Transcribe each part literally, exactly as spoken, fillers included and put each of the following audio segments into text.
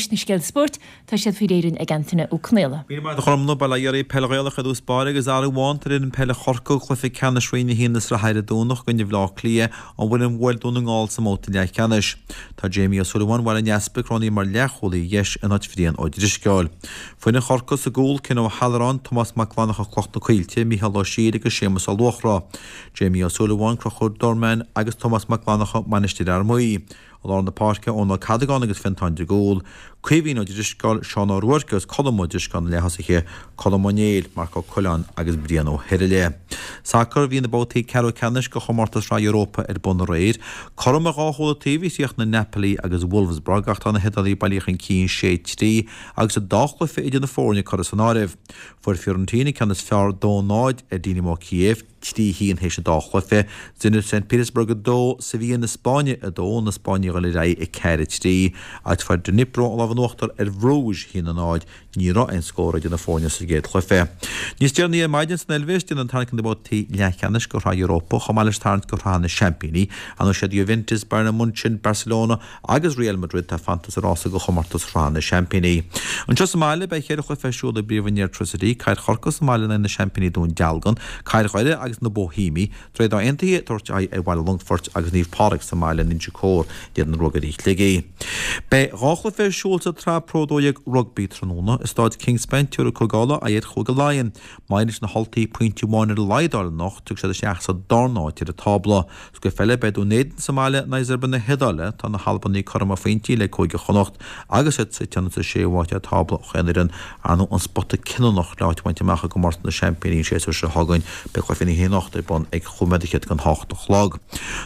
Anois na scéalta spóirt, tá siad faoi réir ag Antaine Ó Conghaile. Míle maith agat a Ghormfhlaith, bail ó Dhia oraibh. Peil Ghaelach i dtús báire agus athrú amháin tar fhoireann peile Chorcaí cluiche ceannais Roinn a haon na sraithe ar an Domhnach i gcoinne Bhaile Átha Cliath, an bhfoireann a bhuail Dún na nGall sa mbabhta leathcheannais. Tá Jamie Ó Súilleabháin Bhaile an Easpaig roghnaithe mar leathchúlaí dheis in áit Bhrian Ó Drisceoil. Foireann Chorcaí sa gcúl, Ken Ó hAllaráin, Tomás Mac Fhlanncha Cloch na Coillte, Mícheál Ó Siadhail agus Séamus Ó Luachra. Jamie Ó Súilleabháin, Conchúr Dorman agus Tomás Mac Fhlanncha, Mainistir Fhear Maí. I lár na páirce, Eoin Ó Cadagáin agus Fiontán de Gúl, Caoimhín Ó Drisceoil, Seán Ó Ruairc agus Colm Ó Drisceoil na leath-thosaithe, Colm Ó Néill, Marc Ó Coileáin agus Brian Ó hIrle. Sacar, Bhí na babhtaí ceathrú ceannais de chomórtas Shraith Europa ar bun aréir. Cothrom ar dhá chúl an taobh a chríochnaigh Napoli agus Wolfsburg ach tá na hIodálaigh bailithe chun cinn sé trí agus an dá chluiche idir na foirne curtha san áireamh. Fuair Fiorentina ceann is fearr dó náid ar Dynamo Kiev, trí haon théis an dá chluiche, Zenit Saint Petersburg a dó, Sevilla na Spáinne a dó, na Spáinnigh ag dul ar aghaidh a ceathair a trí, agus fuair Dnipro an lámh in uachtar ar Bhruges a haon a náid, ní raibh aon scór idir na foirne sa gcéad chluiche. Níos deireanaí ar maidin san Eilvéis, déanadh an tarraingt do na babhtaí leathcheannais de Shraith Europa chomh maith leis an tarraingt do Shraith na Seaimpíní. Ar ndóigh siad Juventus, Bayern Munchen, Barcelona agus Real Madrid atá fanta sa rása do chomórtas Shraith na Seaimpíní. Anseo sa mbaile, beidh ceithre chluiche ar siúl i bpríomhroinn Airtricity, Cathair Chorcaí sa mbaile in aghaidh na seaimpíní Dún Dealgan, Cathair Dhoire agus na Boihéamaigh, Droichead Átha Aontaithe ag tabhairt aghaidh ar Bhaile Longfoirt agus Naomh Pádraig sa mbaile in Inse Chór in éadan Ruagairí Shligigh. Beidh dhá chluiche ar siúl sa tSraith Pro dó dhéag Rugbaí tráthnóna i Stáid Kingspan, tabharfaidh Cúige Uladh aghaidh ar Chúige Laighean. Má éiríonn leis na hUltaigh pointe amháin ar a laghad a fháil anocht, tiocfaidh siad isteach sa darna háit ar an tábla. Sa gcluiche eile, beidh Dún Éideann sa mbaile in aghaidh Zebre na hIodáile. Tá na hAlbanaigh cothrom ar phointí le Cúige Chonnacht agus iad suite sa séú háit ar tábla chaon fhoireann, ar ndóigh an spota cinniúnach le áit a bhaint amach i gcomórtas na Seaimpíní an séasúr seo chugainn. Beidh cluiche na hoíche anocht ar bun ag chúig nóiméad fhichead don hocht a chlog.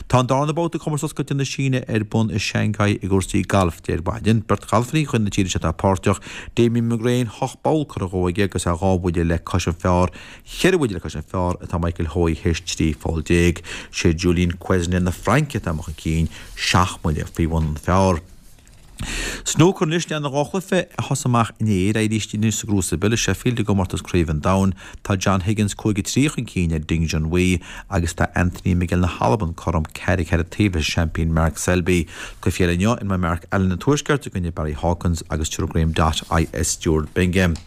Tá an darna babhta de Chomórtas Oscailte na Síne ar bun i Shanghai i gcúrsaí gailf ar maidin. Beirt ghalfairí de chuid na tíre seo atá páirteach, Damien McGrane, hocht bpoll curtha dhó aige agus é dhá bhuille le cois an phar, cheithre bhuille le cois an phar atá Michael Hoey théis trí pholl déag. Sé Julien Quesnel na Fraince atá amuigh chun cinn, seacht mbuille faoi bhun an phar. Snúcar anois, leanfaidh dhá chluiche a thosaigh amach inné ar aghaidh arís inniu sa gCrucible i Sheffield i gcomórtas Craoibhe an Domhain. Tá John Higgins cúig a trí chun cinn ar Ding Junhui agus tá Anthony McGill na hAlban cothrom ceathair ceathair an taobh leis an seaimpín Mark Selby. Cluiche eile inniu imreoidh Mark Allen an Tuaiscirt i gcoinne Barry Hawkins agus tabharfaidh Graeme Dott aghaidh ar Stuart Bingham.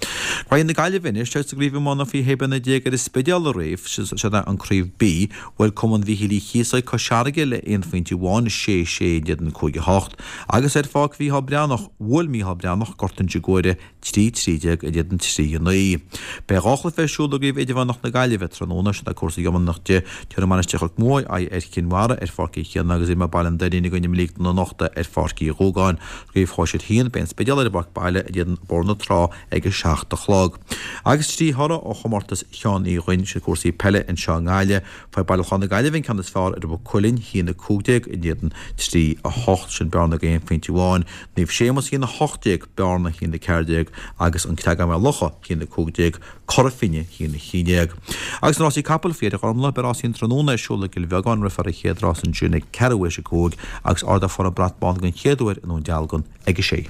Graí na Gaillimhe anois, sa gcraobh iomána faoi shé bliana déag ar an Spidéal aréir, siod é an Craobh B. Bhuail Cumann Mhíchíl Uí Chíosóig Cois Fharraige le aon phointe amháin, sé sé in éadan cúig a hocht, agus ar Pháirc Mhícheál Breathnach, bhuail Mícheál Breathnach Gort Inse Guaire trí trí déag in éadan trí a naoi. Beidh dhá chluiche ar siúl i gCraobh Idirmheánach na Gaillimhe tráthnóna, siod é cúrsaí iománaíochta de, tabharfaidh Mainistir Chnoc Muaidh aghaidh ar Chinn Mhara ar Pháirc Uí Chaonaigh agus imreoidh Baile an Doirín i gcoinne Mhic na Nochta ar Pháirc Uí Dhúgáin. Craobh Shóisir a haon, beidh an Spidéal ar an bpáirc baile in éadan Bóthar na Trá ag a seacht a chlog. Agus trí thoradh ó chomórtas Sheáin Uí Dhuinn, siad cúrsaí peile anseo i nGaillimh, Fuair Baile Chláir na Gaillimhe an ceann is fearr ar Mhaigh Cuilinn, a haon a cúig déag in éadan trí a hocht, sin Bearna ag aon phointe amháin, Naomh Séamus a haon a hocht déag, Bearna a haon a ceathair déag agus An Creagán Maigh Locha a haon a cúig déag, Cora Finne a haon a haon déag. Agus na rásaí capall faoi dheireadh a Ghormfhlaith, beidh rásaí an tráthnóna ar siúl i gCill Bheagáin, rithfear an chéad rás ansin ag ceathrú théis a cúig agus ardófar an brat bán den chéad uair i nDún Dealgan ag a sé.